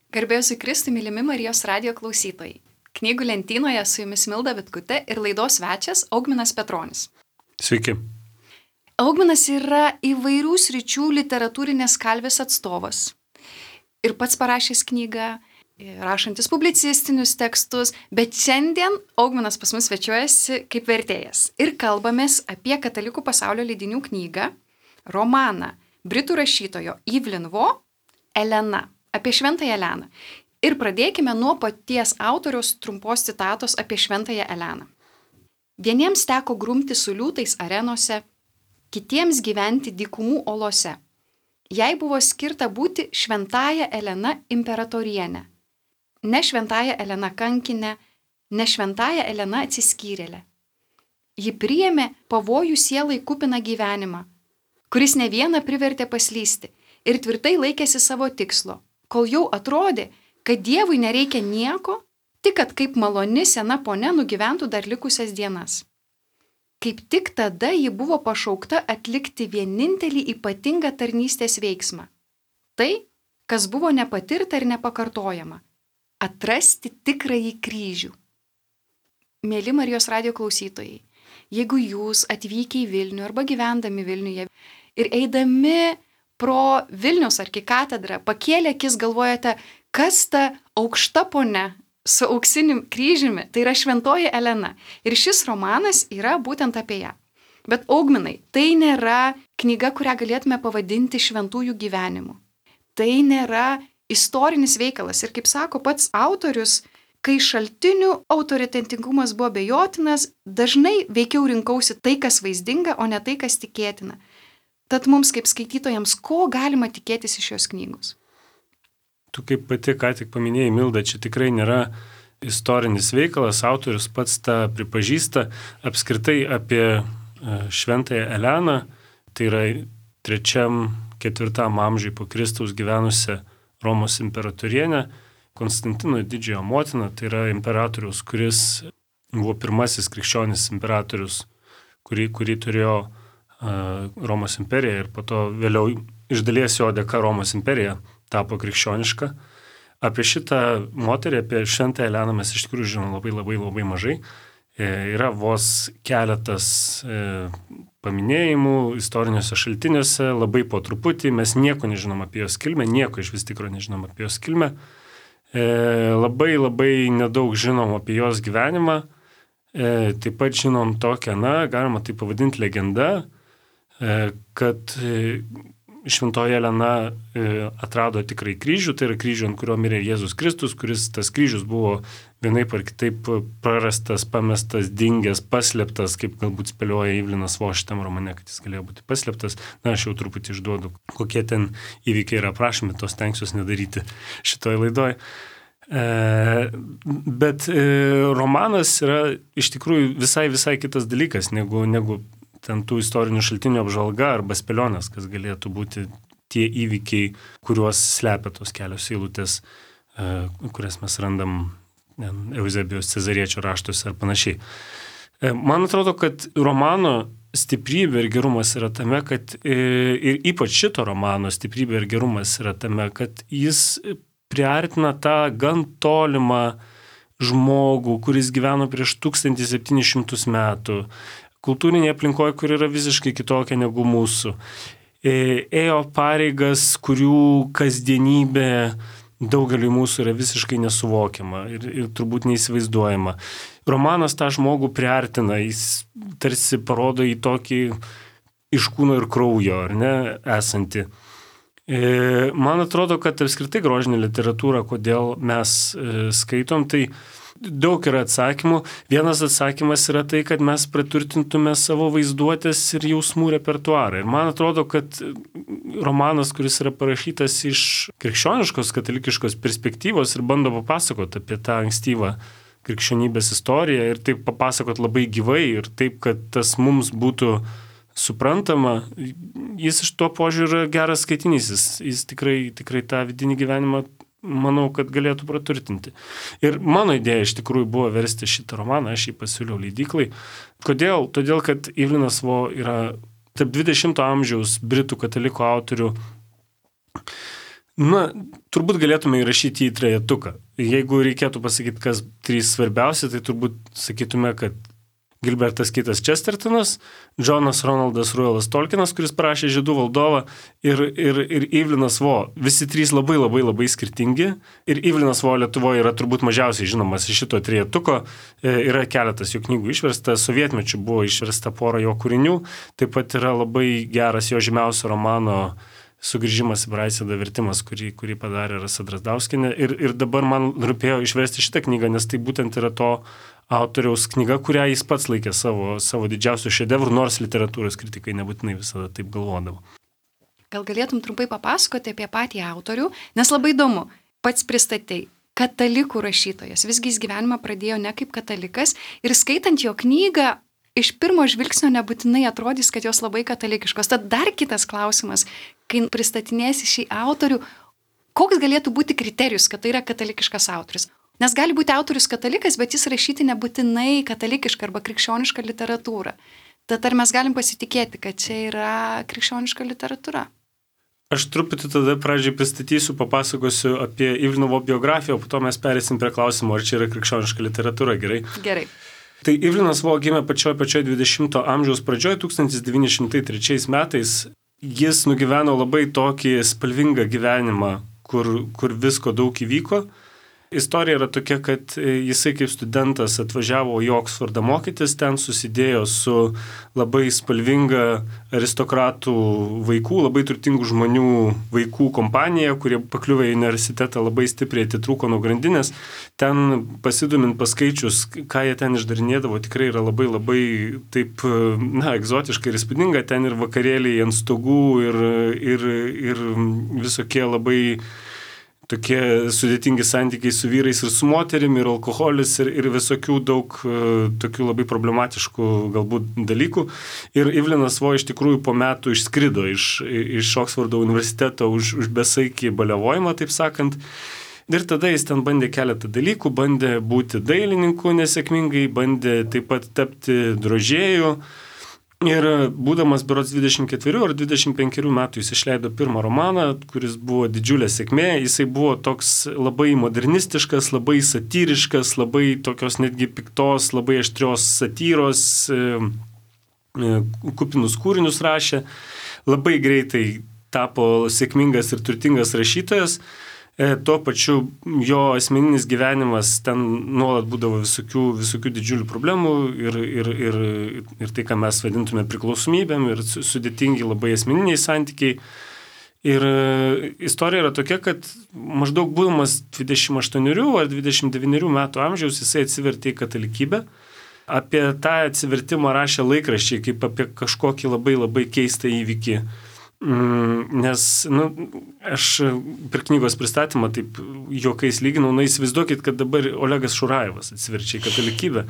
Garbėsiu Kristui, mylimi Marijos radijo klausytojai. Knygų lentynoje su jumis Milda Vitkutė ir laidos svečias Augminas Petronis. Sveiki. Augminas yra įvairių sričių literatūrinės kalvės atstovas. Ir pats parašęs knygą, rašantis publicistinius tekstus, bet šiandien Augminas pas mus svečiuojasi kaip vertėjas. Ir kalbamės apie katalikų pasaulio leidinių knygą, romaną britų rašytojo Evelyn Waugh Elena. Apie Šventąją Eleną. Ir pradėkime nuo paties autoriaus trumpos citatos apie Šventąją Eleną. Vieniems teko grumti su liūtais arenose, kitiems gyventi dykumų olose. Jai buvo skirta būti Šventąja Elena imperatorienė. Ne Šventąja Elena kankinė, ne Šventąja Elena atsiskyrėlė. Ji priėmė pavojų sielai kupiną gyvenimą, kuris ne vieną privertė paslysti ir tvirtai laikėsi savo tikslo. Kol jau atrodė, kad Dievui nereikia nieko, tik kad kaip maloni sena ponia nugyventų dar likusias dienas. Kaip tik tada ji buvo pašaukta atlikti vienintelį ypatingą tarnystės veiksmą. Tai, kas buvo nepatirta ir nepakartojama – atrasti tikrąjį kryžių. Mėly Marijos radijo klausytojai, jeigu jūs atvykę į Vilnių arba gyvendami Vilniuje ir eidami pro Vilniaus arkikatedrą pakėlę akis galvojate, kas ta aukšta ponia su auksiniu kryžiumi, tai yra Šventoji Elena. Ir šis romanas yra būtent apie ją. Bet Augminai, tai nėra knyga, kurią galėtume pavadinti šventųjų gyvenimu. Tai nėra istorinis veikalas. Ir kaip sako pats autorius, kai šaltinių autoritetingumas buvo abejotinas, dažnai veikiau rinkausi tai, kas vaizdinga, o ne tai, kas tikėtina. Tad mums kaip skaitytojams, ko galima tikėtis iš šios knygos? Tu kaip pati ką tik paminėjai, Milda, čia tikrai nėra istorinis veikalas, autorius pats tą pripažįsta. Apskritai apie Šventąją Eleną, tai yra 3-4 amžiui po Kristaus gyvenusią Romos imperatorienę, Konstantino didžiojo motiną, tai yra imperatorius, kuris buvo pirmasis krikščionis imperatorius, kurį turėjo Romos imperija ir po to vėliau iš dalies jo dėka Romos imperija tapo krikščioniška. Apie šitą moterį, apie Šventąją Eleną mes iš tikrųjų žinom labai mažai. Yra vos keletas paminėjimų istoriniuose šaltiniuose, labai po truputį, mes nieko nežinom apie jos kilmę, nieko iš vis tikro nežinom apie jos kilmę. Labai nedaug žinom apie jos gyvenimą. Taip pat žinom tokią, galima tai pavadinti legenda, kad Šventoji Elena atrado tikrai kryžių, tai yra kryžių, ant kurio mirė Jėzus Kristus, kuris tas kryžius buvo vienaip ar kitaip prarastas, pamestas, dingęs, paslėptas, kaip galbūt spėlioja Evelynas Waugh šitam romane, kad jis galėjo būti paslėptas. Aš jau truputį išduodu, kokie ten įvykiai yra aprašomi, tos stengsiuosi nedaryti šitoj laidoj. Bet romanas yra iš tikrųjų visai kitas dalykas, negu ten tų istorinių šaltinių apžvalga arba spėlionės, kas galėtų būti tie įvykiai, kuriuos slepia tos kelios eilutės, kurias mes randam Euzebijos Cezariečio raštuose ar panašiai. Man atrodo, kad romano stiprybė ir gerumas yra tame, kad ir ypač šito romano stiprybė ir gerumas yra tame, kad jis priartina tą gan tolimą žmogų, kuris gyveno prieš 1700 metų, kultūrinėje aplinkoje, kur yra visiškai kitokia negu mūsų. Ėjo pareigas, kurių kasdienybė daugeliui mūsų yra visiškai nesuvokiama ir turbūt neįsivaizduojama. Romanas tą žmogų priartina, jis tarsi parodo į tokį iš kūno ir kraujo, ar ne, esantį. Man atrodo, kad apskritai grožinė literatūra, kodėl mes skaitom, tai daug yra atsakymų. Vienas atsakymas yra tai, kad mes praturtintume savo vaizduotės ir jausmų repertuarą. Ir man atrodo, kad romanas, kuris yra parašytas iš krikščioniškos, katalikiškos perspektyvos ir bando papasakoti apie tą ankstyvą krikščionybės istoriją ir taip papasakoti labai gyvai ir taip, kad tas mums būtų suprantama, jis iš to požiūrio geras skaitinys. Jis tikrai tą vidinį gyvenimą manau, kad galėtų praturtinti. Ir mano idėja iš tikrųjų buvo versti šitą romaną, aš jį pasiūliau leidyklai. Kodėl? Todėl, kad Evelynas Waugh yra tarp 20 amžiaus britų katalikų autorių Na, turbūt galėtume įrašyti į trejetuką. Jeigu reikėtų pasakyti, kas 3 svarbiausia, tai turbūt sakytume, kad Gilbertas Kitas Chestertonas, Džonas Ronaldas Ruelas Tolkienas, kuris parašė Žiedų valdovą, ir Ivlinas Vo. Visi 3 labai skirtingi. Ir Ivlinas Vo Lietuvoje yra turbūt mažiausiai žinomas iš šito trejetuko. Yra keletas jo knygų išversta, sovietmečiu buvo išversta pora jo kūrinių. Taip pat yra labai geras jo žymiausio romano Sugrįžimas į Braisėdą vertimas, kurį padarė Rasa Drazdauskienė. Ir dabar man rūpėjo išversti šitą knygą, nes tai būtent yra to autoriaus knyga, kurią jis pats laikė savo didžiausių šedevrų, nors literatūros kritikai nebūtinai visada taip galvodavo. Gal galėtum trumpai papasakoti apie patį autorių, nes labai įdomu, pats pristatei, katalikų rašytojas, visgi jis gyvenimą pradėjo ne kaip katalikas ir skaitant jo knygą, iš pirmo žvilgsnio nebūtinai atrodys, kad jos labai katalikiškos. Tad dar kitas klausimas, kai pristatinėsi šį autorių, koks galėtų būti kriterijus, kad tai yra katalikiškas autorius? Nes gali būti autorius katalikas, bet jis rašyti nebūtinai katalikišką arba krikščionišką literatūrą. Tad ar mes galim pasitikėti, kad čia yra krikščioniška literatūra? Aš truputį tada pradžiai pristatysiu, papasakosiu apie Ivlinovo biografiją, o po to mes perėsim prie klausimo, ar čia yra krikščioniška literatūra, gerai? Gerai. Tai Ivlinas Vo gimė pačioj 20 amžiaus pradžioje, 1903 metais. Jis nugyveno labai tokį spalvingą gyvenimą, kur visko daug įvyko. Istorija yra tokia, kad jisai kaip studentas atvažiavo į Oksfordą mokytis, ten susidėjo su labai spalvinga aristokratų vaikų, labai turtingų žmonių vaikų kompanija, kurie pakliuvę į universitetą labai stipriai atitrūko nuo grandinės. Ten pasidomint paskaičius, ką jie ten išdarinėdavo, tikrai yra labai taip, egzotiškai ir įspūdinga. Ten ir vakarėliai ant stogų ir visokie labai tokie sudėtingi santykiai su vyrais ir su moterim, ir alkoholis, ir visokių daug tokių labai problematiškų galbūt dalykų. Ir Ivlinas Vo iš tikrųjų po metų išskrido iš Oksfordo universiteto už besaikį baliavojimą, taip sakant. Ir tada jis ten bandė keletą dalykų, bandė būti dailininku nesėkmingai, bandė taip pat tapti drožėju. Ir būdamas berods 24 ar 25 metų jis išleido pirmą romaną, kuris buvo didžiulė sėkmė. Jisai buvo toks labai modernistiškas, labai satyriškas, labai tokios netgi piktos, labai aštrios satyros, kupinus kūrinius rašė. Labai greitai tapo sėkmingas ir turtingas rašytojas. Tuo pačiu jo asmeninis gyvenimas ten nuolat būdavo visokių didžiulių problemų ir tai, ką mes vadintume priklausomybėm ir sudėtingi labai asmeniniai santykiai. Ir istorija yra tokia, kad maždaug būdamas 28 ar 29 metų amžiaus jisai atsivertė į katalikybę. Apie tą atsivertimą rašė laikraščiai kaip apie kažkokį labai keistą įvykį. Nes, aš per knygos pristatymą taip juokais lyginau, įsivaizduokit, kad dabar Olegas Šurajevas atsiverčia į katalikybę.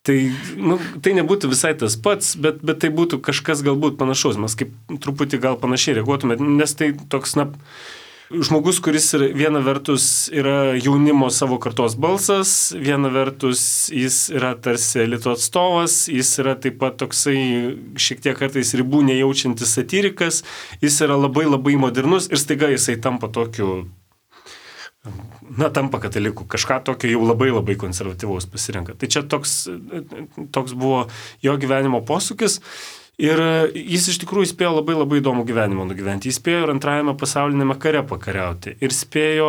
Tai nebūtų visai tas pats, bet tai būtų kažkas galbūt panašaus. Mes kaip truputį gal panašiai reaguotume, nes tai toks, žmogus, kuris viena vertus yra jaunimo savo kartos balsas, viena vertus jis yra tarsi elito atstovas, jis yra taip pat toksai šiek tiek kartais ribų nejaučiantis satyrikas, jis yra labai modernus ir staiga jisai tampa tokiu, tampa kataliku, kažką tokio jau labai konservatyvaus pasirenka. Tai čia toks buvo jo gyvenimo posūkis. Ir jis iš tikrųjų spėjo labai įdomų gyvenimą nugyventi. Jis spėjo ir antrajame pasaulinėme kare pakariauti. Ir spėjo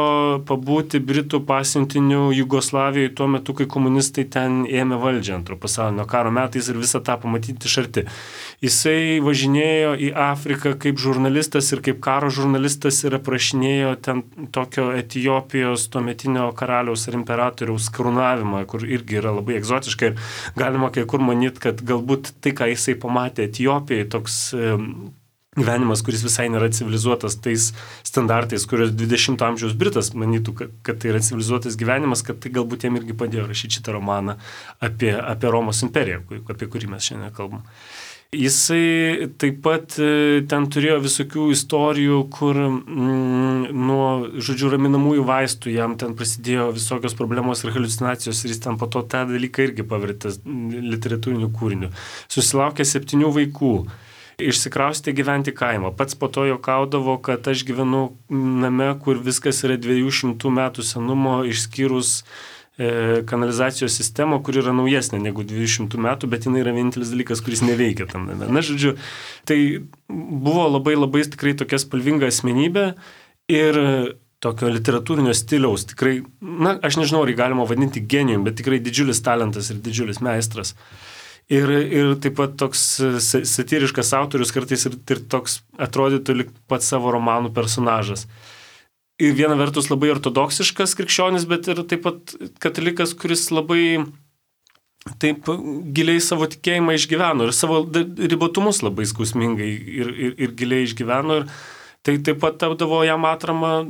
pabūti Britų pasiuntiniu Jugoslavijoje tuo metu, kai komunistai ten ėmė valdžią antro pasaulinio karo metais ir visą tą pamatyti iš arti. Jisai važinėjo į Afriką kaip žurnalistas ir kaip karo žurnalistas ir aprašinėjo ten tokio Etiopijos tuometinio karaliaus ar imperatoriaus karūnavimą, kur irgi yra labai egzotiška ir galima kai kur manyti, kad galbūt tai, ką jisai pamatė Etiopijai, toks gyvenimas, kuris visai nėra civilizuotas tais standartais, kurios 20 amžiaus Britas manytų, kad tai yra civilizuotas gyvenimas, kad tai galbūt jam irgi padėjo rašyti šitą romaną apie Romos imperiją, apie kurį mes šiandien kalbam. Jisai taip pat ten turėjo visokių istorijų, kur nuo, raminamųjų vaistų jam ten prasidėjo visokios problemos ir haliucinacijos ir jis ten po to tą dalyką irgi pavertė literatūriniu kūriniu. Susilaukė 7 vaikų. išsikraustė gyventi kaimą. Pats po to juokaudavo, kad aš gyvenu name, kur viskas yra 200 metų senumo, išskyrus kanalizacijos sistemą, kur yra naujesnė negu 200 metų, bet jinai yra vienintelis dalykas, kuris neveikia tam name. Na, žodžiu, tai buvo labai labai tikrai tokia spalvinga asmenybė ir tokio literatūrinio stiliaus. Tikrai, na, aš nežinau, ar galima vadinti genijum, bet tikrai didžiulis talentas ir didžiulis meistras. Ir taip pat toks satyriškas autorius kartais ir toks atrodytų lyg pats savo romanų personažas. Ir viena vertus labai ortodoksiškas krikščionis, bet ir taip pat katalikas, kuris labai taip giliai savo tikėjimą išgyveno ir savo ribotumus labai skausmingai ir giliai išgyveno. Ir tai taip pat tapdavo jam atrama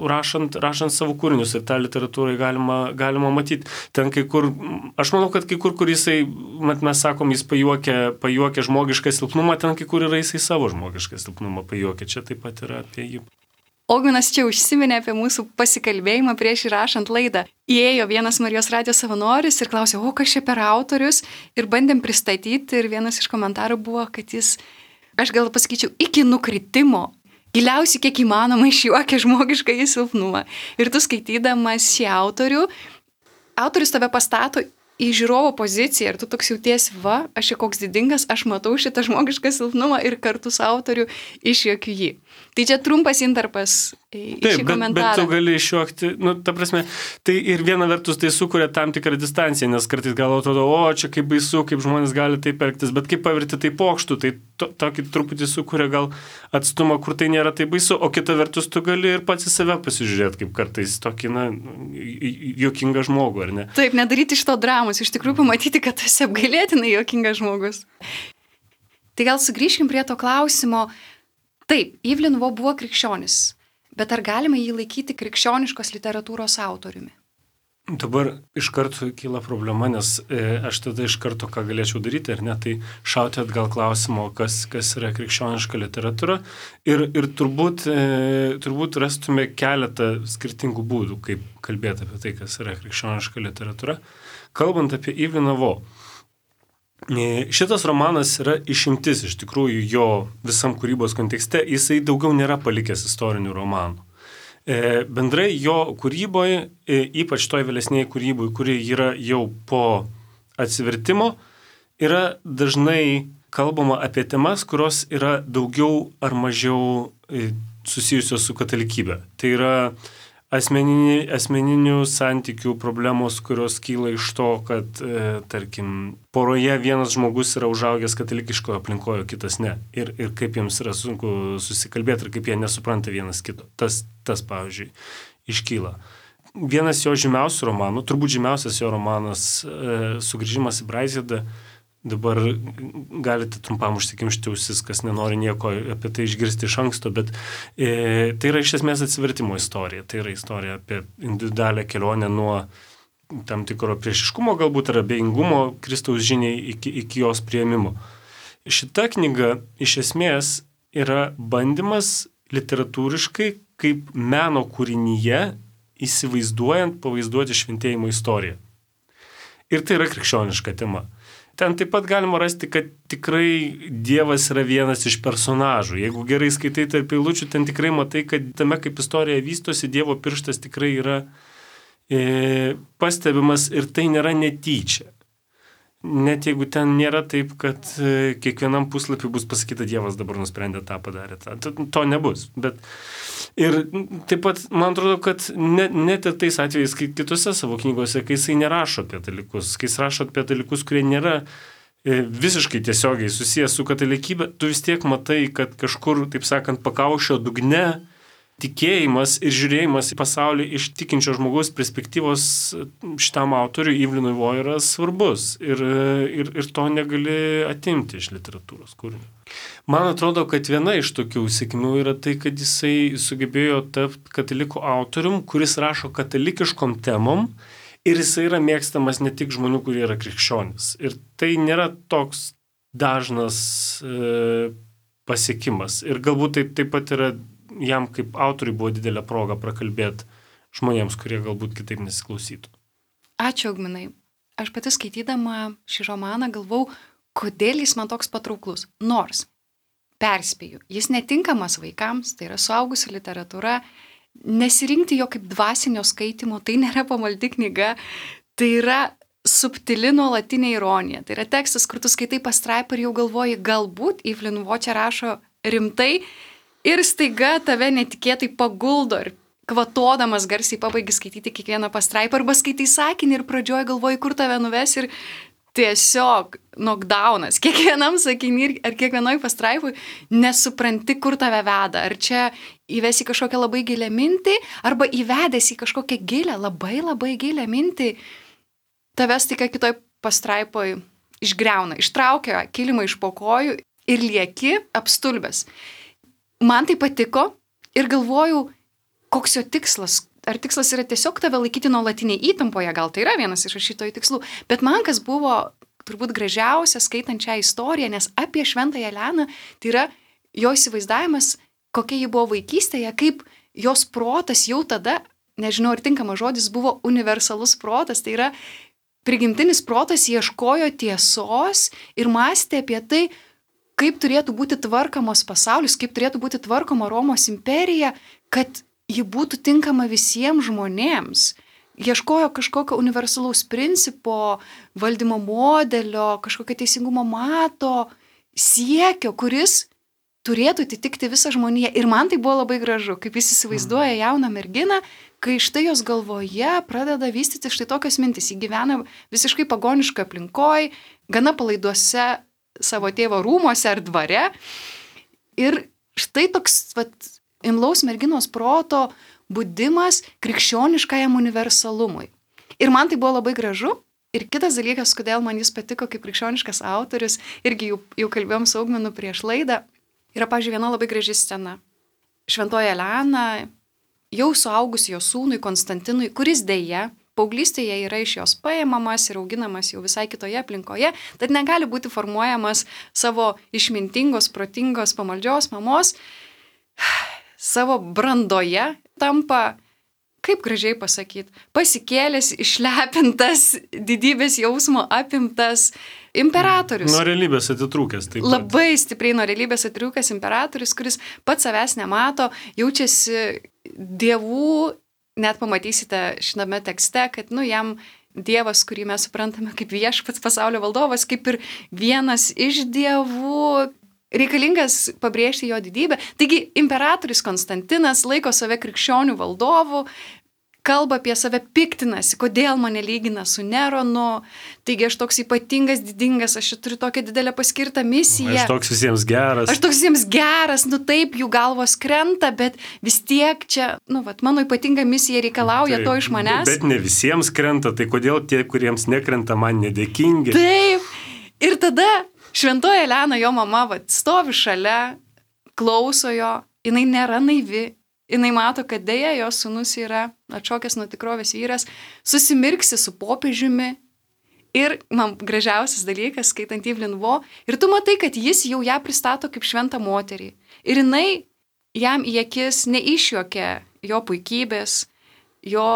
rašant savo kūrinius ir tą literatūrą galima matyti. Ten kai kur, aš manau, kad kai kur jisai, mes sakom, jis pajuokia žmogišką silpnumą, ten kai kur yra jisai savo žmogišką silpnumą pajuokia. Čia taip pat yra apie jį. Ogminas čia užsiminė apie mūsų pasikalbėjimą prieš įrašant laidą. Įėjo vienas Marijos radijo savanoris ir klausė, kas čia per autorius, ir bandėm pristatyti, ir vienas iš komentarų buvo, kad jis, aš gal pasakyčiau, iki nukritimo giliausiai kiek įmanoma išjuokia žmogišką silpnumą. Ir tu skaitydamas šį autorius tave pastato į žiūrovo poziciją ir tu toks jautiesi, aš čia koks didingas, aš matau šitą žmogišką silpnumą ir kartu su autoriu išjuokiu jį. Tai čia trumpas intarpas į šį komentarą. Bet tu gali išjuokti, ta prasme, tai ir viena vertus tai sukuria tam tikrą distanciją, nes kartais gal atrodo, čia kaip baisu, kaip žmonės gali taip elgtis, bet kaip pavirti tai pokštų, tai tokį truputį sukuria gal atstumą, kur tai nėra taip baisu, o kita vertus tu gali ir pats į save pasižiūrėti, kaip kartais tokį, juokingą žmogų, ar ne? Taip, nedaryti iš to dramos, iš tikrųjų pamatyti, kad tu esi apgailėtinai juokingas žmogus. Tai gal sugrįžkim prie to klausimo. Taip, Yves Linevaux buvo krikščionis, bet ar galima jį laikyti krikščioniškos literatūros autoriumi? Dabar iš karto kyla problema, nes aš tada iš karto ką galėčiau daryti, ar ne, tai šauti atgal klausimo, kas yra krikščioniška literatūra ir turbūt rastume keletą skirtingų būdų, kaip kalbėti apie tai, kas yra krikščioniška literatūra. Kalbant apie Yves Linevaux, šitas romanas yra išimtis iš tikrųjų jo visam kūrybos kontekste, jisai daugiau nėra palikęs istorinių romanų. Bendrai jo kūryboje, ypač toj vėlesnėje kūryboje, kuri yra jau po atsivertimo, yra dažnai kalbama apie temas, kurios yra daugiau ar mažiau susijusios su katalikybė. Tai yra asmeninių santykių problemos, kurios kyla iš to, kad, tarkim, poroje vienas žmogus yra užaugęs katalikiškoje aplinkoje, kitas ne. Ir kaip jiems yra sunku susikalbėti ir kaip jie nesupranta vienas kito. Tas pavyzdžiui, iškyla. Vienas jo žymiausių romanų, turbūt žymiausias jo romanas Sugrįžimas į Braižėdą, dabar galite trumpam užsikimšti ausis, kas nenori nieko apie tai išgirsti iš anksto, bet tai yra iš esmės atsivertimo istorija. Tai yra istorija apie individualią kelionę nuo tam tikro priešiškumo, galbūt ar abejingumo Kristaus žiniai iki jos priėmimo. Šita knyga iš esmės yra bandymas literatūriškai kaip meno kūrinyje įsivaizduojant, pavaizduoti šventėjimo istoriją. Ir tai yra krikščioniška tema. Ten taip pat galima rasti, kad tikrai Dievas yra vienas iš personažų. Jeigu gerai skaitai tarp eilučių, ten tikrai matai, kad tame, kaip istorija vystosi, Dievo pirštas tikrai yra pastebimas ir tai nėra netyčia. Net jeigu ten nėra taip, kad kiekvienam puslapį bus pasakyta, Dievas dabar nusprendė tą padarė. To nebus. Bet ir taip pat, man atrodo, kad net ir tais atvejais, kai kitose savo knygose, kai jisai nerašo apie dalykus, kai jis rašo apie dalykus, kurie nėra visiškai tiesiogiai susijęs su katalikybė, tu vis tiek matai, kad kažkur, taip sakant, pakaušio dugne tikėjimas ir žiūrėjimas į pasaulį iš tikinčio žmogaus perspektyvos šitam autoriui Yves Linevaux yra svarbus ir to negali atimti iš literatūros kūrinio. Man atrodo, kad viena iš tokių sėkmių yra tai, kad jisai sugebėjo tapti katalikų autorium, kuris rašo katalikiškom temom ir jisai yra mėgstamas ne tik žmonių, kurie yra krikščionys. Ir tai nėra toks dažnas pasiekimas. Ir galbūt taip pat yra jam kaip autoriui buvo didelė proga prakalbėti žmonėms, kurie galbūt kitaip nesiklausytų. Ačiū, Ogminai. Aš pati skaitydama šį romaną galvau, kodėl jis man toks patrauklus. Nors perspėju, jis netinkamas vaikams, tai yra suaugusių literatūra, nesirinkti jo kaip dvasinio skaitimo, tai nėra pamaldi knyga, tai yra subtili nuolatinė ironija. Tai yra tekstas, kur tu skaitai pastraipą ir jau galvoji, galbūt Evelyn Waugh čia rašo rimtai ir staiga tave netikėtai paguldo ir kvatodamas garsiai pabaigi skaityti kiekvieną pastraipą arba skaitai sakinį ir pradžioje galvoji, kur tave nuves ir tiesiog knockdownas. Kiekvienam sakinį ar kiekvienoj pastraipui nesupranti, kur tave veda. Ar čia įvesi kažkokią labai gilią mintį, arba įvedęs į kažkokią gilę, labai gilią mintį, tavęs tik kitoj pastraipoj išgriauna, ištraukia kilimą iš po kojų ir lieki apstulbęs. Man tai patiko ir galvoju, koks jo tikslas. Ar tikslas yra tiesiog tave laikyti nuolatinėje įtampoje, gal tai yra vienas iš rašytojų tikslų, bet man kas buvo turbūt gražiausia skaitant šią istoriją, nes apie Šventąją Eleną tai yra jo įsivaizdavimas, kokia ji buvo vaikystėje, kaip jos protas jau tada, nežinau ar tinkamas žodis, buvo universalus protas, tai yra prigimtinis protas ieškojo tiesos ir mąstė apie tai, kaip turėtų būti tvarkomos pasaulis, kaip turėtų būti tvarkoma Romos imperija, kad ji būtų tinkama visiems žmonėms. Ieškojo kažkokio universalaus principo, valdymo modelio, kažkokio teisingumo mato, siekio, kuris turėtų atitikti visą žmoniją. Ir man tai buvo labai gražu, kaip jis įsivaizduoja jauną merginą, kai štai jos galvoje pradeda vystyti štai tokios mintis. Ji gyvena visiškai pagoniškoje aplinkoje, gana palaiduose savo tėvo rūmuose ar dvare. Ir štai toks imlaus merginos proto budimas krikščioniškajam universalumui. Ir man tai buvo labai gražu. Ir kitas dalykas, kodėl man jis patiko kaip krikščioniškas autorius, irgi jau kalbėjom su Augminu prieš laidą, yra, pavyzdžiui, viena labai graži scena. Šventoji Elena jau suaugus jo sūnui Konstantinui, kuris dėja paauglystėje yra iš jos paimamas ir auginamas jau visai kitoje aplinkoje, tad negali būti formuojamas savo išmintingos, protingos, pamaldžios mamos, savo brandoje tampa, kaip gražiai pasakyti, pasikėlęs, išlepintas, didybės jausmo apimtas imperatorius. Nuo realybės atitrūkęs. Taip pat. Labai stipriai nuo realybės atitrūkęs imperatorius, kuris pats savęs nemato, jaučiasi dievų, net pamatysite šitame tekste, kad jam dievas, kurį mes suprantame kaip viešpats pasaulio valdovas, kaip ir vienas iš dievų, reikalingas pabrėžti jo didybę. Taigi imperatorius Konstantinas laiko save krikščionių valdovu, kalba apie save, piktinasi, kodėl mane lygina su Neronu, taigi aš toks ypatingas, didingas, aš turiu tokią didelę paskirtą misiją. Aš toks visiems geras. Taip, jų galvos krenta, bet vis tiek čia, mano ypatinga misija reikalauja to iš manęs. Bet ne visiems krenta, tai kodėl tie, kuriems nekrenta, man nedėkingi? Taip, ir tada Šventoji Elena, jo mama, stovi šalia, klauso jo, jinai nėra naivi, jinai mato, kad dėja jos sūnus yra atšokęs nuo tikrovės vyras, susimirksi su popiežiumi ir man gražiausias dalykas, skaitant Evelyn Waugh, ir tu matai, kad jis jau ją pristato kaip šventą moterį. Ir jinai jam į akis neišjuokia jo puikybės, jo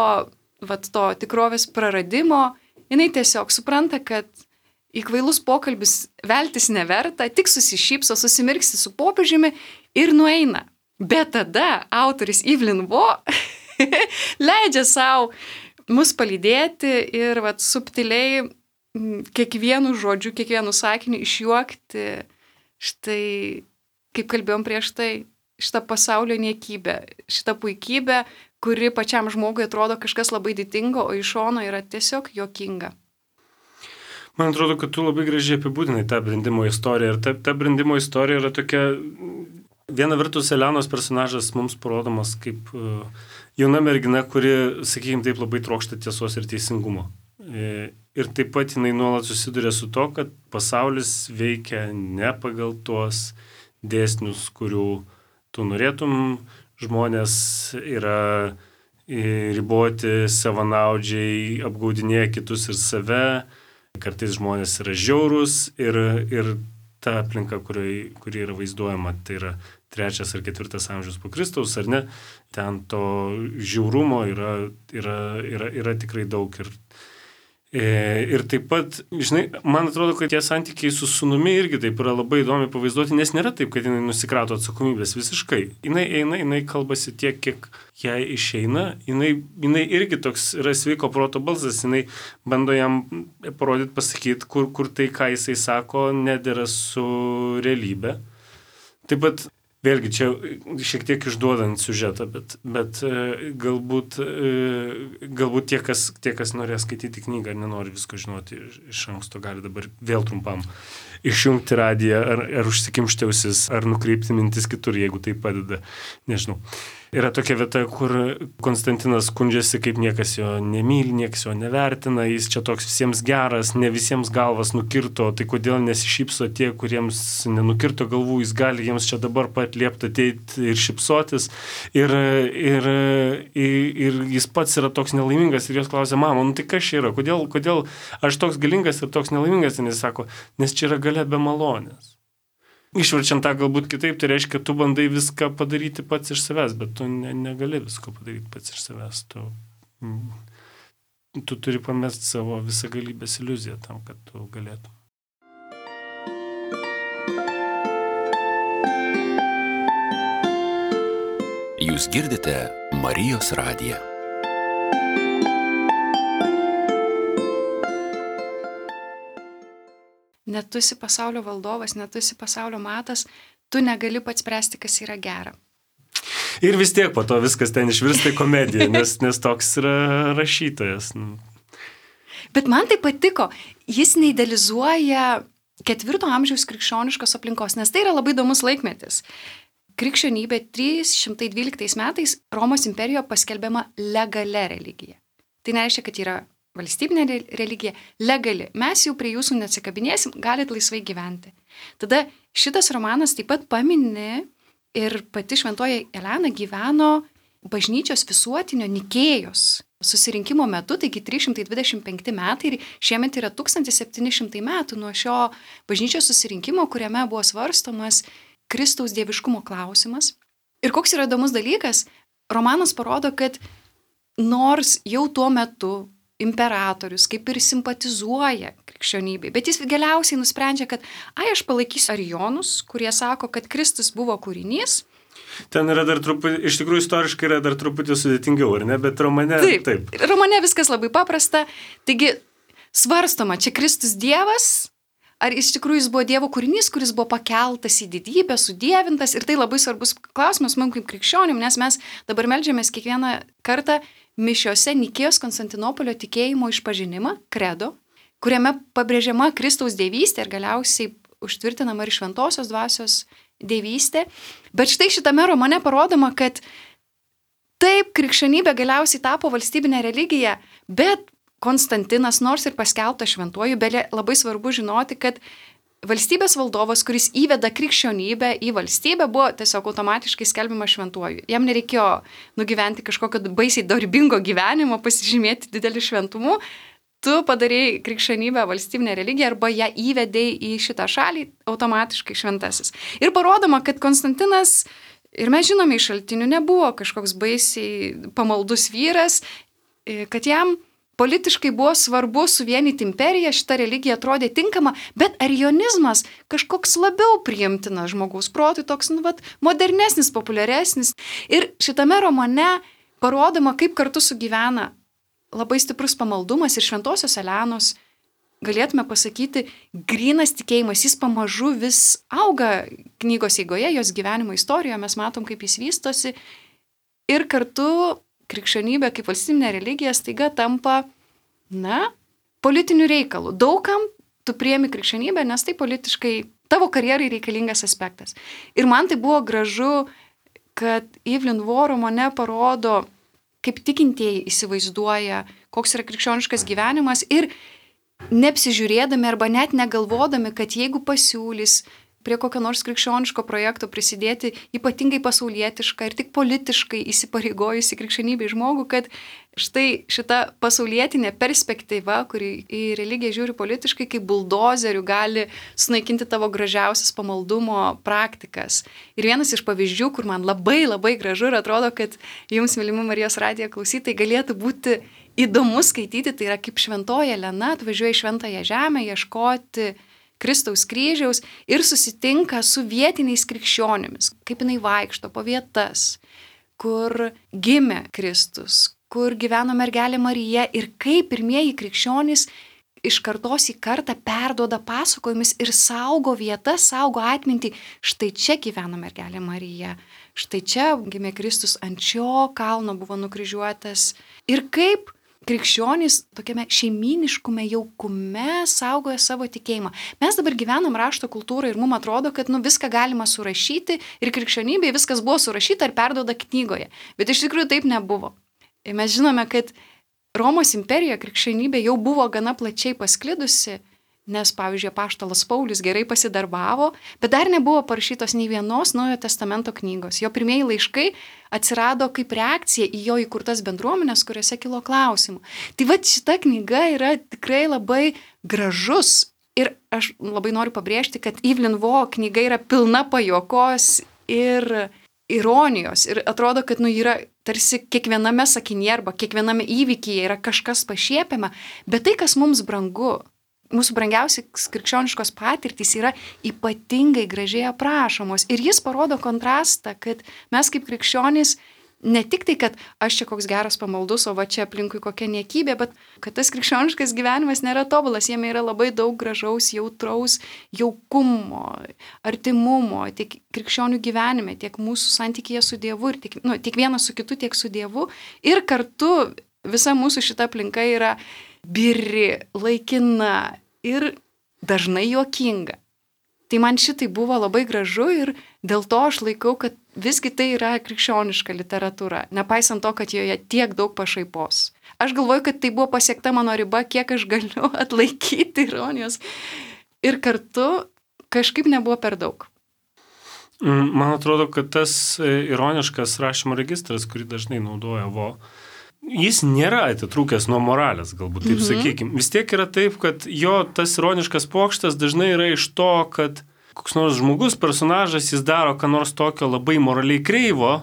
to tikrovės praradimo, jinai tiesiog supranta, kad į kvailus pokalbis veltis neverta, tik susišypso, susimirksi su popiežiumi ir nueina. Bet tada autoris Evelyn Waugh leidžia savo mus palydėti ir subtiliai kiekvienu žodžiu, kiekvienu sakiniu išjuokti štai, kaip kalbėjom prieš tai, šitą pasaulio niekybę, šitą puikybę, kuri pačiam žmogui atrodo kažkas labai didingo, o iš šono yra tiesiog juokinga. Man atrodo, kad tu labai gražiai apibūdinai tą brendimo istoriją. Ir ta brendimo istorija yra tokia, viena vertus Elenos personažas mums parodomas kaip jauna mergina, kuri, sakykime, taip labai trokšta tiesos ir teisingumo. Ir taip pat jinai nuolat susiduria su to, kad pasaulis veikia ne pagal tuos dėsnius, kurių tu norėtum. Žmonės yra riboti, savanaudžiai, apgaudinėja kitus ir save. Kartais žmonės yra žiaurūs ir ta aplinka, kuri yra vaizduojama, tai yra 3 ar 4 amžius po Kristaus, ar ne, ten to žiaurumo yra tikrai daug. Ir taip pat, žinai, man atrodo, kad tie santykiai su sūnumi irgi taip yra labai įdomi pavaizduoti, nes nėra taip, kad jinai nusikrato atsakomybės visiškai. Jinai eina, jinai kalbasi tiek, kiek jai išeina, jinai irgi toks yra sveiko proto balsas, jinai bando jam parodyti, pasakyti, kur tai, ką jisai sako, nedėra su realybė. Taip pat vėlgi, čia šiek tiek išduodant siužetą, bet galbūt tie, kas norės skaityti knygą ar nenori visko žinoti iš anksto, gali dabar vėl trumpam išjungti radiją ar užsikimšti ausis, ar nukreipti mintis kitur, jeigu tai padeda, nežinau. Yra tokia vieta, kur Konstantinas skundžiasi, kaip niekas jo nemyli, niekas jo nevertina, jis čia toks visiems geras, ne visiems galvas nukirto, tai kodėl nesišypso tie, kuriems nenukirto galvų, jis gali jiems čia dabar pat liepti ateiti ir šypsotis. Ir jis pats yra toks nelaimingas ir jos klausia, mama, tai kas čia yra, kodėl aš toks galingas ir toks nelaimingas, ir jis sako, nes čia yra galia be malonės. Išverčiant tą galbūt kitaip, tai reiškia, tu bandai viską padaryti pats iš savęs, bet tu negali visko padaryti pats iš savęs. Tu turi pamesti savo visagalybės iliuziją tam, kad tu galėtum. Jūs girdite Marijos radiją. Net tu esi pasaulio valdovas, net tu esi pasaulio matas, tu negali pats spręsti, kas yra gera. Ir vis tiek po to viskas ten išvirsta į komediją, nes toks yra rašytojas. Bet man tai patiko, jis neidealizuoja 4 amžiaus krikščioniškos aplinkos, nes tai yra labai įdomus laikmetis. Krikščionybė 312 metais Romos imperijoje paskelbiama legalia religija. Tai nereiškia, kad yra valstybinė religija, legali. Mes jau prie jūsų neatsikabinėsim, galit laisvai gyventi. Tada šitas romanas taip pat pamini ir pati šventoji Elena gyveno bažnyčios visuotinio Nikėjos susirinkimo metu, taigi 325 metai ir šiemet yra 1700 metų nuo šio bažnyčios susirinkimo, kuriame buvo svarstomas Kristaus dieviškumo klausimas. Ir koks yra įdomus dalykas, romanas parodo, kad nors jau tuo metu imperatorius kaip ir simpatizuoja krikščionybei, bet jis galiausiai nusprendžia, kad aš palaikysiu arijonus, kurie sako, kad Kristus buvo kūrinys. Ten yra dar truputį, iš tikrųjų istoriškai yra dar truputį sudėtingiau, ar ne, bet romane taip. Romane viskas labai paprasta, taigi svarstoma, čia Kristus Dievas, ar iš tikrųjų jis buvo Dievo kūrinys, kuris buvo pakeltas į didybę, sudievintas, ir tai labai svarbus klausimas mums kaip krikščionim, nes mes dabar meldžiamės kiekvieną kartą mišiose Nikėjos Konstantinopolio tikėjimo išpažinimą, kredo, kuriame pabrėžiama Kristaus dievystė ir galiausiai užtvirtinama ir šventosios dvasios dievystė. Bet štai šitame romane parodoma, kad taip krikščionybė galiausiai tapo valstybinė religija, bet Konstantinas, nors ir paskelbtas šventuoju, bet labai svarbu žinoti, kad valstybės valdovas, kuris įveda krikščionybę į valstybę, buvo tiesiog automatiškai skelbiamas šventuoju. Jam nereikėjo nugyventi kažkokio baisiai dorybingo gyvenimo, pasižymėti didelį šventumu. Tu padarėjai krikščionybę valstybinę religiją arba ją įvedėjai į šitą šalį automatiškai šventasis. Ir parodoma, kad Konstantinas, ir mes žinome iš šaltinių, nebuvo kažkoks baisiai pamaldus vyras, kad jam politiškai buvo svarbu suvienyti imperiją, šita religija atrodė tinkama, bet arijonizmas kažkoks labiau priimtinas žmogaus protui, toks modernesnis, populiaresnis. Ir šitame romane parodoma, kaip kartu sugyvena labai stiprus pamaldumas ir šventosios Elenos, galėtume pasakyti, grynas tikėjimas, jis pamažu vis auga knygos eigoje, jos gyvenimo istorijoje, mes matom, kaip jis vystosi. Ir kartu krikščionybė kaip valstybinė religija staiga tampa, politinių reikalų. Daugam tu priemi krikščionybę, nes tai politiškai tavo karjerai reikalingas aspektas. Ir man tai buvo gražu, kad Evelyn Waugh romane parodo, kaip tikintieji įsivaizduoja, koks yra krikščioniškas gyvenimas ir neapsižiūrėdami arba net negalvodami, kad jeigu pasiūlys prie kokio nors krikščioniško projekto prisidėti ypatingai pasaulietišką ir tik politiškai įsipareigojusi krikščionybei žmogų, kad štai šita pasaulietinė perspektyva, kuri į religiją žiūri politiškai, kaip buldozerių gali sunaikinti tavo gražiausias pamaldumo praktikas. Ir vienas iš pavyzdžių, kur man labai labai gražu ir atrodo, kad jums, mylimi Marijos radijo klausytojai, galėtų būti įdomu skaityti, tai yra kaip šventoji Elena atvažiuoja į šventąją žemę ieškoti Kristaus kryžiaus ir susitinka su vietiniais krikščionimis, kaip jinai vaikšto po vietas, kur gimė Kristus, kur gyveno mergelė Marija ir kaip pirmieji krikščionys iš kartos į kartą perduoda pasakojimus ir saugo vietas, saugo atmintį. Štai čia gyveno mergelė Marija, štai čia gimė Kristus, ant šio kalno buvo nukryžiuotas. Ir kaip krikščionys tokiame šeimyniškume jaukume saugoja savo tikėjimą. Mes dabar gyvenam rašto kultūrą ir mums atrodo, kad viską galima surašyti ir krikščionybėje viskas buvo surašyta ir perduoda knygoje. Bet iš tikrųjų taip nebuvo. Ir mes žinome, kad Romos imperijoje krikščionybė jau buvo gana plačiai pasklidusi, nes, pavyzdžiui, apaštalas Paulius gerai pasidarbavo, bet dar nebuvo parašytos nei vienos Naujojo testamento knygos. Jo pirmieji laiškai atsirado kaip reakcija į jo įkurtas bendruomenės, kuriuose kilo klausimų. Tai va šita knyga yra tikrai labai gražus ir aš labai noriu pabrėžti, kad Evelyn Waugh knyga yra pilna pajuokos ir ironijos ir atrodo, kad yra tarsi kiekviename sakinyje arba kiekviename įvykyje yra kažkas pašiepiama, bet tai, kas mums brangu, mūsų brangiausios krikščioniškos patirtys yra ypatingai gražiai aprašomos ir jis parodo kontrastą, kad mes kaip krikščionys ne tik tai, kad aš čia koks geras pamaldus, o va čia aplinkui kokia niekybė, bet kad tas krikščioniškas gyvenimas nėra tobulas, jame yra labai daug gražaus, jautraus jaukumo, artimumo, tiek krikščionių gyvenime, tiek mūsų santykyje su Dievu, ir tiek vienas su kitu, tiek su Dievu. Ir kartu visa mūsų šita aplinka yra biri, laikina ir dažnai juokinga. Tai man šitai buvo labai gražu ir dėl to aš laikau, kad visgi tai yra krikščioniška literatūra, nepaisant to, kad joje tiek daug pašaipos. Aš galvoju, kad tai buvo pasiekta mano riba, kiek aš galiu atlaikyti ironijos ir kartu kažkaip nebuvo per daug. Man atrodo, kad tas ironiškas rašymo registras, kurį dažnai naudoja Waugh, jis nėra atitrūkęs nuo moralės, galbūt taip sakykim. Vis tiek yra taip, kad jo tas ironiškas pokštas dažnai yra iš to, kad koks nors žmogus, personažas, jis daro ką nors tokio labai moraliai kreivo,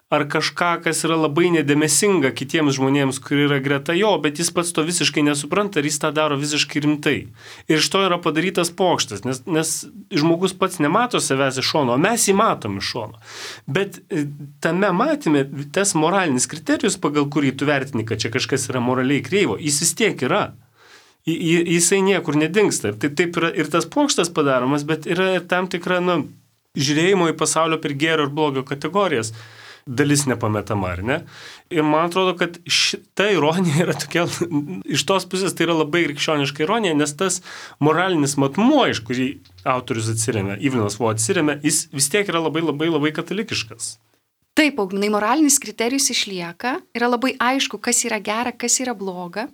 ar kažką, kas yra labai nedėmesinga kitiems žmonėms, kurie yra greta jo, bet jis pats to visiškai nesupranta ir jis tą daro visiškai rimtai. Ir iš to yra padarytas pokštas, nes žmogus pats nemato savęs iš šono, o mes jį matom iš šono. Bet tame matyme, tas moralinis kriterijus, pagal kurį tu vertini, kad čia kažkas yra moraliai kreivo, jis vis tiek yra. Jisai niekur nedingsta. Tai taip yra ir tas pokštas padaromas, bet yra ir tam tikra žiūrėjimo į pasaulio per gėrio ir blogio kategorijas dalis nepametama, ar ne? Ir man atrodo, kad šita ironija yra tokia, iš tos pusės tai yra labai krikščioniška ironija, nes tas moralinis matmuo, iš kurį autorius atsiremia, Evelynas Waugh atsiremia, jis vis tiek yra labai, labai, labai katalikiškas. Taip, Augminai, moralinis kriterijus išlieka, yra labai aišku, kas yra gera, kas yra bloga.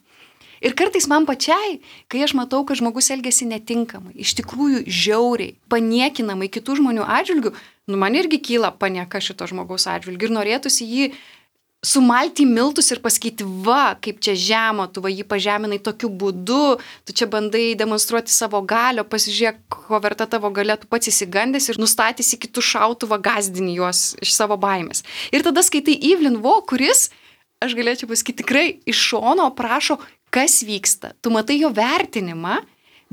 Ir kartais man pačiai, kai aš matau, kad žmogus elgiasi netinkamai, iš tikrųjų žiauriai, paniekinamai kitų žmonių atžvilgių, man irgi kyla panieka šito žmogaus atžvilgių ir norėtųsi jį sumalti į miltus ir pasakyti, va, kaip čia žemo, tu va jį pažeminai tokiu būdu, tu čia bandai demonstruoti savo galio, pasižiūrėk, ko verta tavo galia, tu pats įsigandęs ir nustatysi kitų šautuvą, gazdini juos iš savo baimės. Ir tada skaitai Evelyn Waugh, kuris, aš galėčiau pasakyti, tikrai iš šono prašo, kas vyksta. Tu matai jo vertinimą,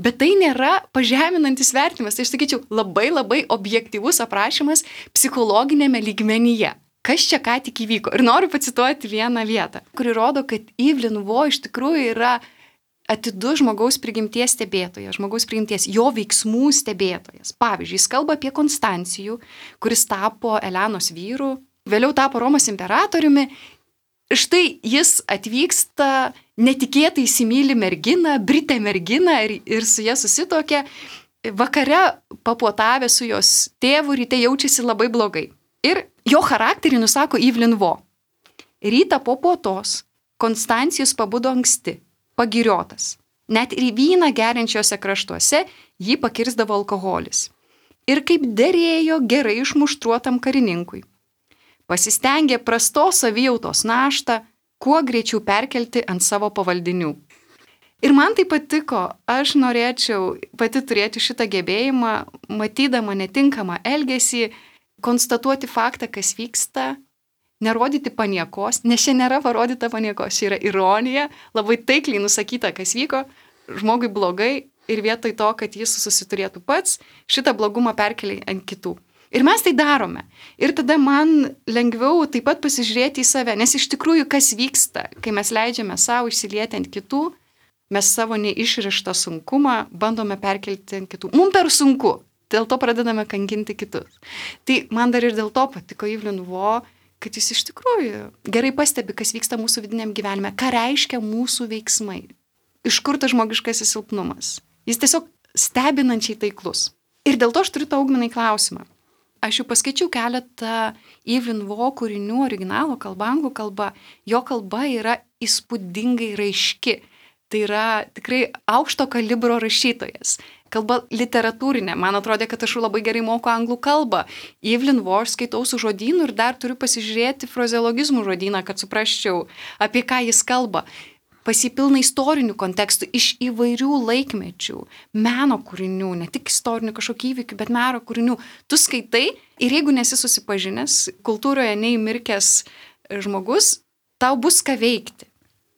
bet tai nėra pažeminantis vertinimas. Tai aš sakyčiau, labai labai objektyvus aprašymas psichologinėme lygmenyje. Kas čia ką tik įvyko. Ir noriu pacituoti vieną vietą, kuri rodo, kad Evelyn Waugh iš tikrųjų yra atidus žmogaus prigimties stebėtojas, žmogaus prigimties, jo veiksmų stebėtojas. Pavyzdžiui, jis kalba apie Konstancijų, kuris tapo Elenos vyru, vėliau tapo Romos imperatoriumi. Štai jis atvyksta, netikėtai įsimyli merginą, britę merginą ir su ja susitokia. Vakare papuotavę su jos tėvu, ryte jaučiasi labai blogai. Ir jo charakterį nusako Evelyn Waugh. Rytą po puotos Konstancijus pabudo anksti, pagiriotas. Net ir vyną geriančiuose kraštuose jį pakirsdavo alkoholis. Ir kaip derėjo gerai išmuštruotam karininkui. Pasistengė prastos savijautos naštą, kuo greičiau perkelti ant savo pavaldinių. Ir man tai patiko, aš norėčiau pati turėti šitą gebėjimą, matydama netinkamą elgesį, konstatuoti faktą, kas vyksta, nerodyti paniekos, nes čia nėra parodyta paniekos, čia yra ironija, labai taikliai nusakyta, kas vyko, žmogui blogai ir vietoj to, kad jis susiturėtų pats, šitą blogumą perkelia ant kitų. Ir mes tai darome. Ir tada man lengviau taip pat pasižiūrėti į save, nes iš tikrųjų kas vyksta, kai mes leidžiame savo išsilieti ant kitų, mes savo neišrištą sunkumą bandome perkelti ant kitų. Mums per sunku, dėl to pradedame kankinti kitus. Tai man dar ir dėl to patiko Evelyn Waugh, kad jis iš tikrųjų gerai pastebi, kas vyksta mūsų vidiniam gyvenime, ką reiškia mūsų veiksmai, iš kur tas žmogiškasis silpnumas. Jis tiesiog stebinančiai taiklus. Ir dėl to aš turiu tau, Augminai, klausimą. Aš jau paskaičiau keletą Evelyn Waugh kūrinių originalo kalba, anglų kalba. Jo kalba yra įspūdingai raiški. Tai yra tikrai aukšto kalibro rašytojas. Kalba literatūrinė. Man atrodė, kad aš labai gerai moku anglų kalbą. Evelyn Waugh skaitau su žodynu ir dar turiu pasižiūrėti frazeologizmų žodyną, kad suprasčiau, apie ką jis kalba. Pasipilna istorinių kontekstų iš įvairių laikmečių, meno kūrinių, ne tik istorinių kažkokių įvykių, bet meno kūrinių. Tu skaitai ir jeigu nesi susipažinęs, kultūroje neįmirkęs žmogus, tau bus ką veikti.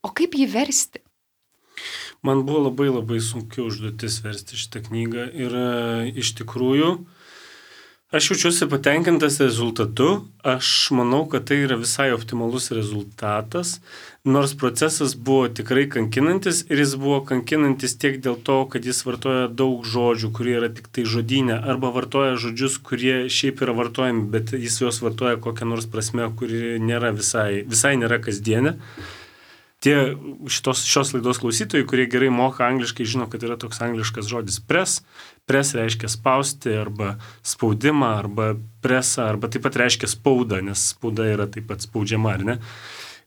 O kaip jį versti? Man buvo labai sunki užduotis versti šitą knygą ir iš tikrųjų aš jaučiuosi patenkintas rezultatu. Aš manau, kad tai yra visai optimalus rezultatas, nors procesas buvo tikrai kankinantis ir jis buvo kankinantis tiek dėl to, kad jis vartoja daug žodžių, kurie yra tik tai žodyne, arba vartoja žodžius, kurie šiaip yra vartojami, bet jis juos vartoja kokią nors prasme, kuri nėra visai nėra kasdienė. Tie šios laidos klausytojai, kurie gerai moka angliškai, žino, kad yra toks angliškas žodis press. Press reiškia spausti arba spaudimą, arba presą, arba taip pat reiškia spaudą, nes spauda yra taip pat spaudžiama, ar ne?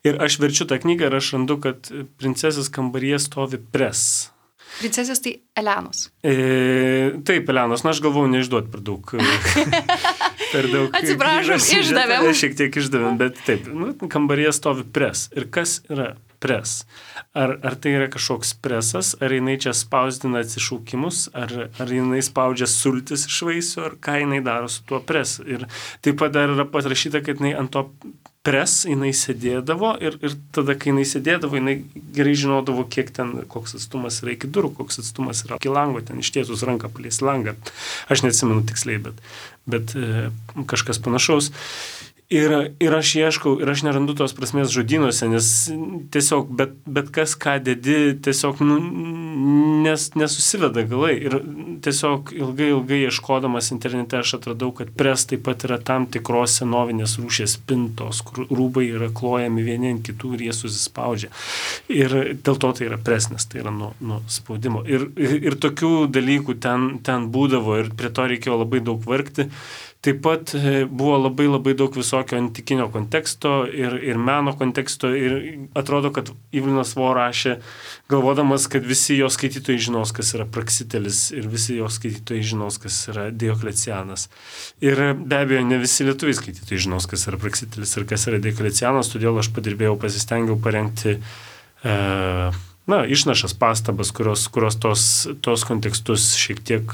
Ir aš verčiu tą knygą ir aš randu, kad princesės kambaryje stovi press. Princesės tai Elenos. Taip, Elenos, aš galvoju neišduoti per daug. Atsiprašom, išdavėm. Šiek tiek išdavėm, bet taip, kambaryje stovi press. Ir kas yra press? Ar tai yra kažkoks presas, ar jinai čia spausdina atsišaukimus, ar jinai spaudžia sultis iš vaisių, ar ką jinai daro su tuo press. Ir taip pat dar yra patrašyta, kad jinai ant to press jinai sėdėdavo ir tada, kai jinai sėdėdavo, jinai gerai žinodavo, koks atstumas yra iki durų, koks atstumas yra iki lango, ten ištiesus ranką palies langą. Aš neatsimenu tiksliai, bet kažkas panašaus. Ir aš ieškau, ir aš nerandu tos prasmės žodynuose, nes tiesiog bet kas, ką dedi, tiesiog nesusiveda galai. Ir tiesiog ilgai ieškodamas internete aš atradau, kad press taip pat yra tam tikros senovinės rūšies spintos, kur rūbai yra klojami vieni ant kitų ir jie susispaudžia. Ir dėl to tai yra press, nes tai yra nuo spaudimo. Ir tokių dalykų ten būdavo ir prie to reikėjo labai daug vargti. Taip pat buvo labai daug visokio antikinio konteksto ir meno konteksto ir atrodo, kad Evelynas Waugh rašė, galvodamas, kad visi jo skaitytojai žinos, kas yra Praxitelis ir visi jo skaitytojai žinos, kas yra Dioklecianas. Ir be abejo, ne visi lietuviai skaitytojai žinos, kas yra Praxitelis ir kas yra Dioklecianas, todėl aš pasistengiau parengti išnašas pastabas, kurios tos kontekstus šiek tiek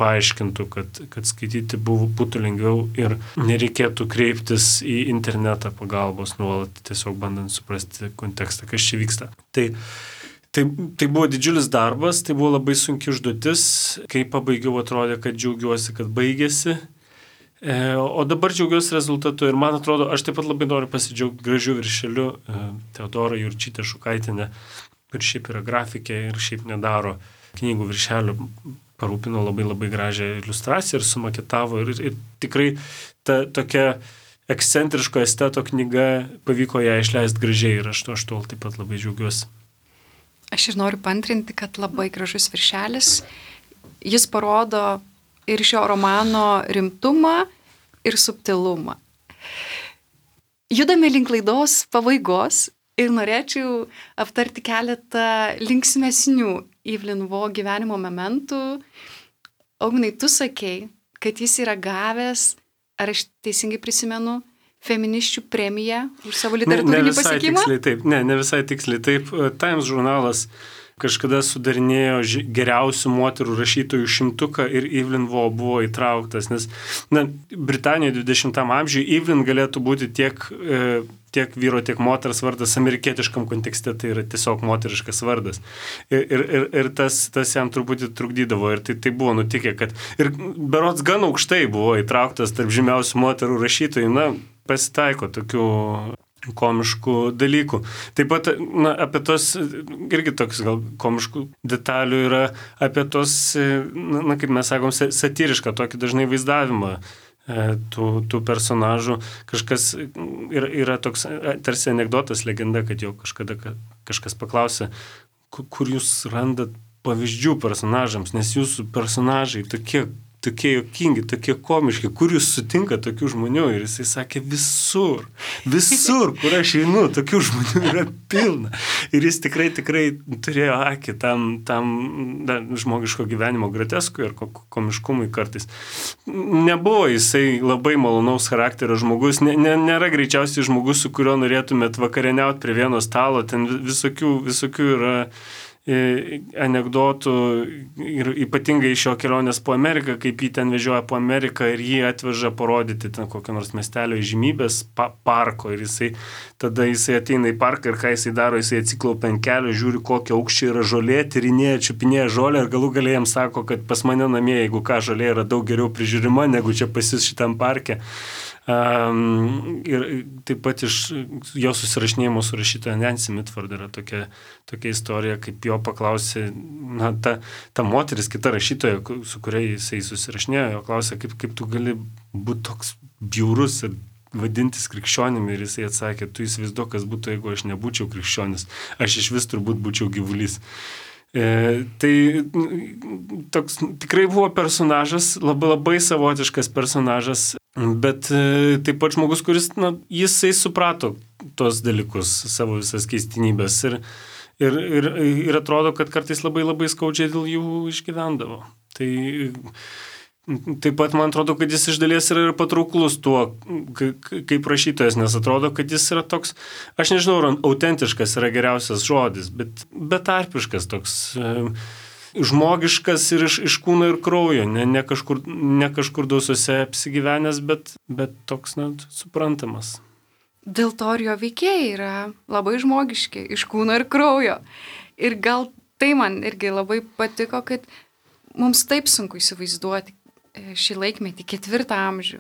paaiškintų, kad skaityti būtų lengviau ir nereikėtų kreiptis į internetą pagalbos nuolat, tiesiog bandant suprasti kontekstą, kas čia vyksta. Tai buvo didžiulis darbas, tai buvo labai sunki užduotis, kai pabaigiau atrodė, kad džiaugiuosi, kad baigėsi. O dabar džiaugiuosi rezultatu ir man atrodo, aš taip pat labai noriu pasidžiaugti gražiu viršeliu Teodora Jurčytė Šukaitienė, ir šiaip yra grafikė ir šiaip nedaro knygų viršelių, parūpino labai gražią iliustraciją ir sumaketavo ir tikrai ta tokia ekscentriško esteto knyga pavyko ją išleisti gražiai ir aš tol taip pat labai džiaugiuosi. Aš ir noriu paantrinti, kad labai gražus viršelis, jis parodo ir šio romano rimtumą ir subtilumą. Judame link laidos pabaigos. Ir norėčiau aptarti keletą linksmesnių Evelyn Waugh gyvenimo momentų. Augminai, tu sakei, kad jis yra gavęs, ar aš teisingai prisimenu, feminisčių premiją už savo literatūrinį pasiekimą? Ne visai tiksliai taip. Times žurnalas kažkada sudarinėjo geriausių moterų rašytojų 100 ir Evelyn Waugh buvo įtrauktas, nes Britanijoje 20 amžiuje Evelyn galėtų būti tiek vyro, tiek moters vardas amerikietiškam kontekste, tai yra tiesiog moteriškas vardas. Ir tas jam truputį trukdydavo ir tai buvo nutikę, kad ir berods gan aukštai buvo įtrauktas tarp žymiausių moterų rašytojų, pasitaiko tokių komiškų dalykų. Taip pat apie tos, irgi toks gal komiškų detalių yra apie tos, kaip mes sakom, satyrišką tokį dažnai vaizdavimą tų personažų. Kažkas yra toks tarsi anekdotas, legenda, kad jau kažkada kažkas paklausė, kur jūs randat pavyzdžių personažams, nes jūsų personažai tokie juokingi, tokie komiški, kur jūs sutinka tokių žmonių? Ir jisai sakė, visur, kur aš einu, tokių žmonių yra pilna. Ir jis tikrai turėjo akį tam žmogiško gyvenimo groteskui ir komiškumui kartais. Nebuvo jisai labai malonaus charakterio žmogus, nėra greičiausiai žmogus, su kuriuo norėtumėt vakarieniauti prie vieno stalo, ten visokių yra anekdotų ir ypatingai iš jo kelionės po Ameriką, kaip jį ten vežioja po Ameriką ir jį atveža parodyti ten kokio nors miestelio įžymybės parko ir tada jisai ateina į parką ir ką jisai daro, jisai atsiklaupia ant kelio, žiūri kokio aukščio yra žolė, tyrinėja, čiupinėja žolę ir galų gale jam sako, kad pas mane namie, jeigu ką, žolė yra daug geriau prižiūrima, negu čia pas jus šitam parke. Ir taip pat iš jo susirašinėjimo su rašytoja Nancy Mitford yra tokia istorija, kaip jo paklausė, ta moteris, kita rašytoja, su kuria jisai susirašinėjo, jo klausė, kaip tu gali būti toks bjaurus ir vadintis krikščionimi, ir jisai atsakė, tu įsivaizduok, kas būtų, jeigu aš nebūčiau krikščionis, aš iš vis turbūt būčiau gyvulys. Tai toks tikrai buvo personažas, labai savotiškas personažas, bet taip pat žmogus, kuris, jisai suprato tos dalykus, savo visas keistinybės ir atrodo, kad kartais labai skaudžiai dėl jų išgyvendavo. Tai taip pat man atrodo, kad jis iš dalies yra ir patrauklus tuo, kaip rašytojas, nes atrodo, kad jis yra toks, aš nežinau, autentiškas yra geriausias žodis, bet betarpiškas toks, žmogiškas ir iš kūno ir kraujo, ne kažkur dausose apsigyvenęs, bet toks, suprantamas. Dėl to ir jo veikėjai yra labai žmogiški, iš kūno ir kraujo. Ir gal tai man irgi labai patiko, kad mums taip sunku įsivaizduoti šį laikmetį, 4 amžių,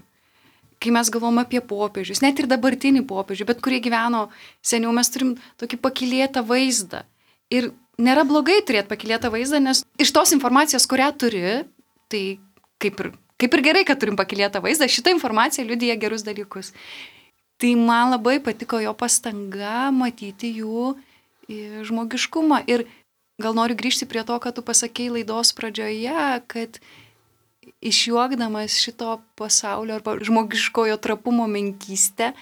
kai mes galvom apie popiežius, net ir dabartinį popiežių, bet kurie gyveno seniau, mes turim tokį pakylėtą vaizdą. Ir nėra blogai turėti pakylėtą vaizdą, nes iš tos informacijos, kurią turi, tai kaip ir gerai, kad turim pakylėtą vaizdą, šitą informaciją liudija gerus dalykus. Tai man labai patiko jo pastanga matyti jų žmogiškumą. Ir gal noriu grįžti prie to, ką tu pasakei laidos pradžioje, kad išjuokdamas šito pasaulio arba žmogiškojo trapumo menkystę,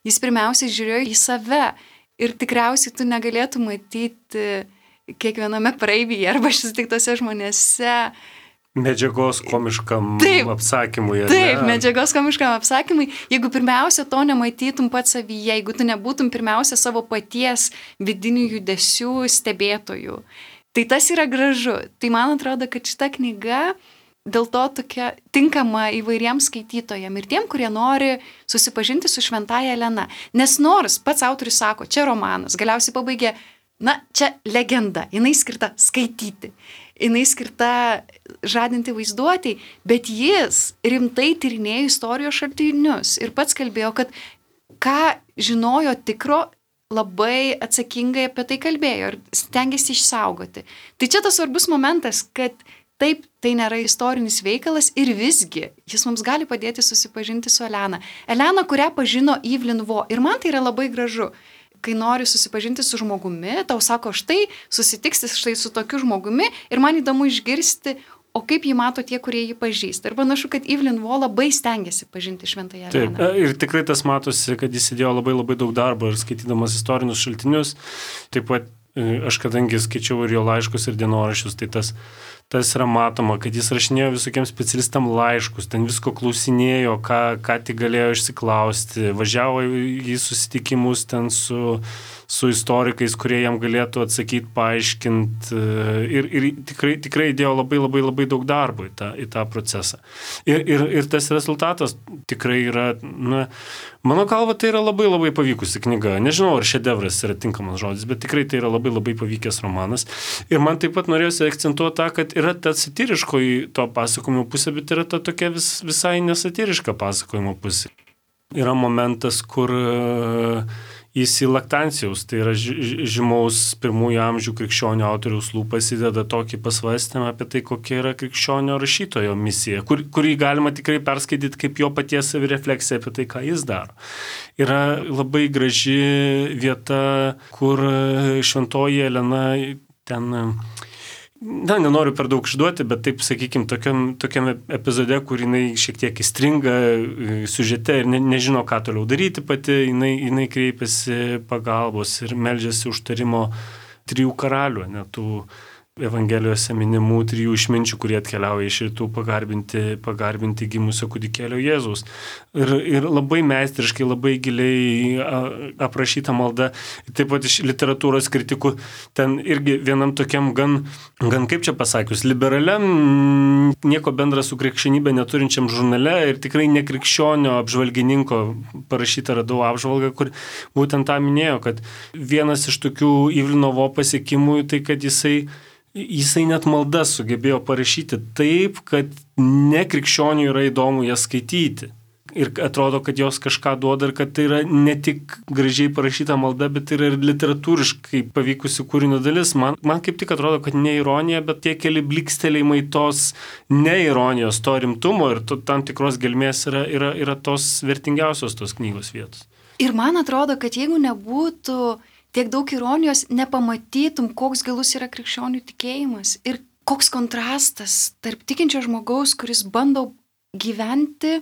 jis pirmiausiai žiūrėjo į save. Ir tikriausiai tu negalėtum matyti kiekviename praeivyje arba susitiktose žmonėse medžiagos komiškam apsakymui. Taip, medžiagos komiškam apsakymui. Jeigu pirmiausia to nematytum pats savyje, jeigu tu nebūtum pirmiausia savo paties vidinių judesių stebėtojų, tai tas yra gražu. Tai man atrodo, kad šita knyga dėl to tokia tinkama įvairiems skaitytojams ir tiem, kurie nori susipažinti su šventąja Elena. Nes nors pats autorius sako, čia romanas, galiausiai pabaigė, čia legenda, jinai skirta skaityti, jinai skirta žadinti vaizduotei, bet jis rimtai tyrinėjo istorijos šaltinius ir pats kalbėjo, kad ką žinojo tikro, labai atsakingai apie tai kalbėjo ir stengiasi išsaugoti. Tai čia tas svarbus momentas, kad taip, tai nėra istorinis veikalas ir visgi jis mums gali padėti susipažinti su Elena. Elena, kurią pažino Evelyn Waugh. Ir man tai yra labai gražu. Kai nori susipažinti su žmogumi, tau sako, štai susitiksi štai su tokiu žmogumi ir man įdomu išgirsti, o kaip jį mato tie, kurie jį pažįsta. Ir panašu, kad Evelyn Waugh labai stengiasi pažinti šventąją Eleną. Taip, ir tikrai tas matosi, kad jis įdėjo labai daug darbo ir skaitydamas istorinius šaltinius. Taip pat aš kadangi skaičiau ir jo laiškus ir dienoraščius, tai tas yra matoma, kad jis rašinėjo visokiems specialistam laiškus, ten visko klausinėjo, ką tik galėjo išsiklausti, važiavo į susitikimus ten su su istorikais, kurie jam galėtų atsakyti, paaiškinti ir tikrai įdėjo labai daug darbo į tą procesą. Ir tas rezultatas tikrai yra, mano galva, tai yra labai pavykusi knyga. Nežinau, ar šedevras yra tinkamas žodis, bet tikrai tai yra labai pavykęs romanas. Ir man taip pat norėjusi akcentuoti tą, kad yra ta satyriškoji to pasakojimo pusė, bet yra ta tokia visai nesatyriška pasakojimo pusė. Yra momentas, kur jis į Laktancijaus, tai yra žymaus pirmųjų amžių krikščionio autoriaus lūpas įdeda tokį pasvarstymą apie tai, kokia yra krikščionio rašytojo misija, kurį galima tikrai perskaityti kaip jo paties savirefleksija apie tai, ką jis daro. Yra labai graži vieta, kur šventoji Elena ten... nenoriu per daug išduoti, bet taip, sakykime, tokiam epizode, kur jinai šiek tiek įstringa siužete ir nežino, ką toliau daryti pati, jinai kreipiasi pagalbos ir meldžiasi užtarimo 3 karalių, tų Evangelijose minimų 3 išminčių, kurie atkeliauja iš rytų pagarbinti gimusio kūdikėlio Jėzaus. Ir labai meistriškai, labai giliai aprašyta malda. Taip pat iš literatūros kritikų ten irgi vienam tokiam gan kaip čia pasakius, liberaliam, nieko bendra su krikščionybė neturinčiam žurnale ir tikrai nekrikščionio apžvalgininko parašytą radau apžvalgą, kur būtent tą minėjo, kad vienas iš tokių Ivlinovo pasiekimų tai, kad jisai net maldas sugebėjo parašyti taip, kad nekrikščionių yra įdomu jas skaityti. Ir atrodo, kad jos kažką duoda ir kad tai yra ne tik gražiai parašyta malda, bet tai yra ir literatūriškai pavykusi kūrinio dalis. Man kaip tik atrodo, kad ne ironija, bet tie keli blikstelėjimai tos neironijos, to rimtumo ir tam tikros gelmės yra tos vertingiausios tos knygos vietos. Ir man atrodo, kad jeigu nebūtų tiek daug ironijos, nepamatytum, koks gilus yra krikščionių tikėjimas ir koks kontrastas tarp tikinčio žmogaus, kuris bando gyventi,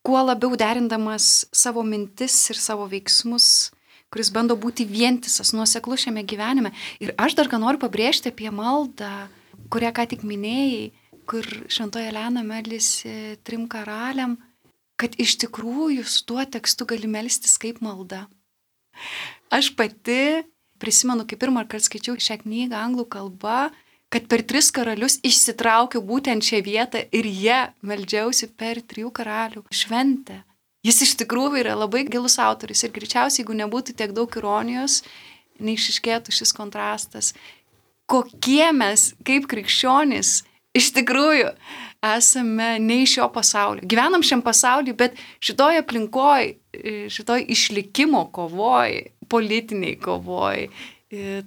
kuo labiau derindamas savo mintis ir savo veiksmus, kuris bando būti vientisas, nuoseklus šiame gyvenime. Ir aš dar ką noriu pabrėžti apie maldą, kurią ką tik minėjai, kur šventoji Elena meldėsi 3 karaliam, kad iš tikrųjų su tuo tekstu gali melstis kaip malda. Aš pati prisimenu, kai pirmą kartą skaičiau šią knygą anglų kalba, kad per 3 karalius išsitraukiau būtent šią vietą ir jie meldžiausi per 3 karalių šventę. Jis iš tikrųjų yra labai gilus autoris ir greičiausiai, jeigu nebūtų tiek daug ironijos, neišryškėtų šis kontrastas. Kokie mes, kaip krikščionys, iš tikrųjų esame ne iš šio pasaulio. Gyvenam šiam pasauliu, bet šitoj aplinkoj, šitoj išlikimo kovoj, politiniai kovoj,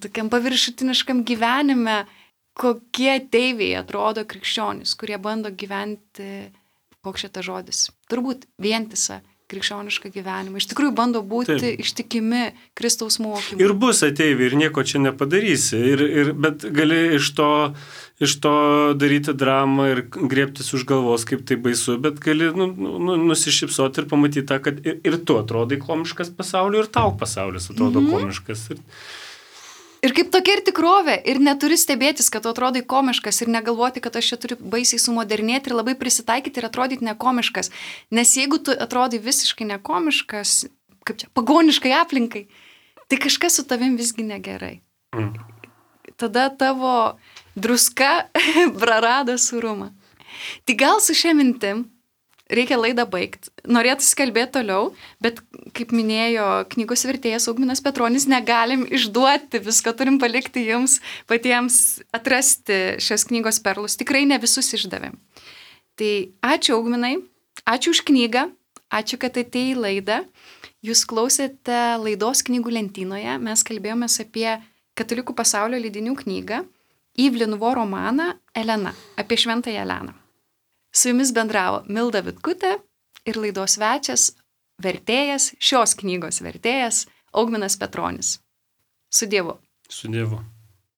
tokiam paviršutiniškam gyvenime, kokie ateiviai atrodo krikščionys, kurie bando gyventi, koks šitas žodis, turbūt vientisą krikščionišką gyvenimą. Iš tikrųjų bando būti ištikimi Kristaus mokymui. Ir bus ateiviai ir nieko čia nepadarysi, bet gali iš to daryti dramą ir griebtis už galvos, kaip tai baisu, bet gali nusišypsoti ir pamatyti tą, kad ir tu atrodai komiškas pasauliu, ir tau pasaulis atrodo komiškas. Ir kaip tokia ir tikrovė, ir neturi stebėtis, kad tu atrodai komiškas ir negalvoti, kad aš čia turiu baisiai sumodernėti ir labai prisitaikyti ir atrodyti nekomiškas. Nes jeigu tu atrodai visiškai nekomiškas, kaip čia, pagoniškai aplinkai, tai kažkas su tavim visgi negerai. Tada tavo druska prarado surumą. Tai gal su šia mintim reikia laidą baigti. Norėtųsi kalbėti toliau, bet kaip minėjo knygos vertėjas Augminas Petronis, negalim išduoti visko, turim palikti jums patiems atrasti šios knygos perlus. Tikrai ne visus išdavėm. Tai ačiū Augminai, ačiū už knygą, ačiū, kad atėjai į laidą. Jūs klausėte laidos knygų lentynoje, mes kalbėjomės apie katalikų pasaulio leidinių knygą Ivlinovo romaną Elena, apie šventąją Eleną. Su jumis bendravo Milda Vitkutė ir laidos svečias, vertėjas, šios knygos vertėjas Augminas Petronis. Su Dievu. Su Dievu.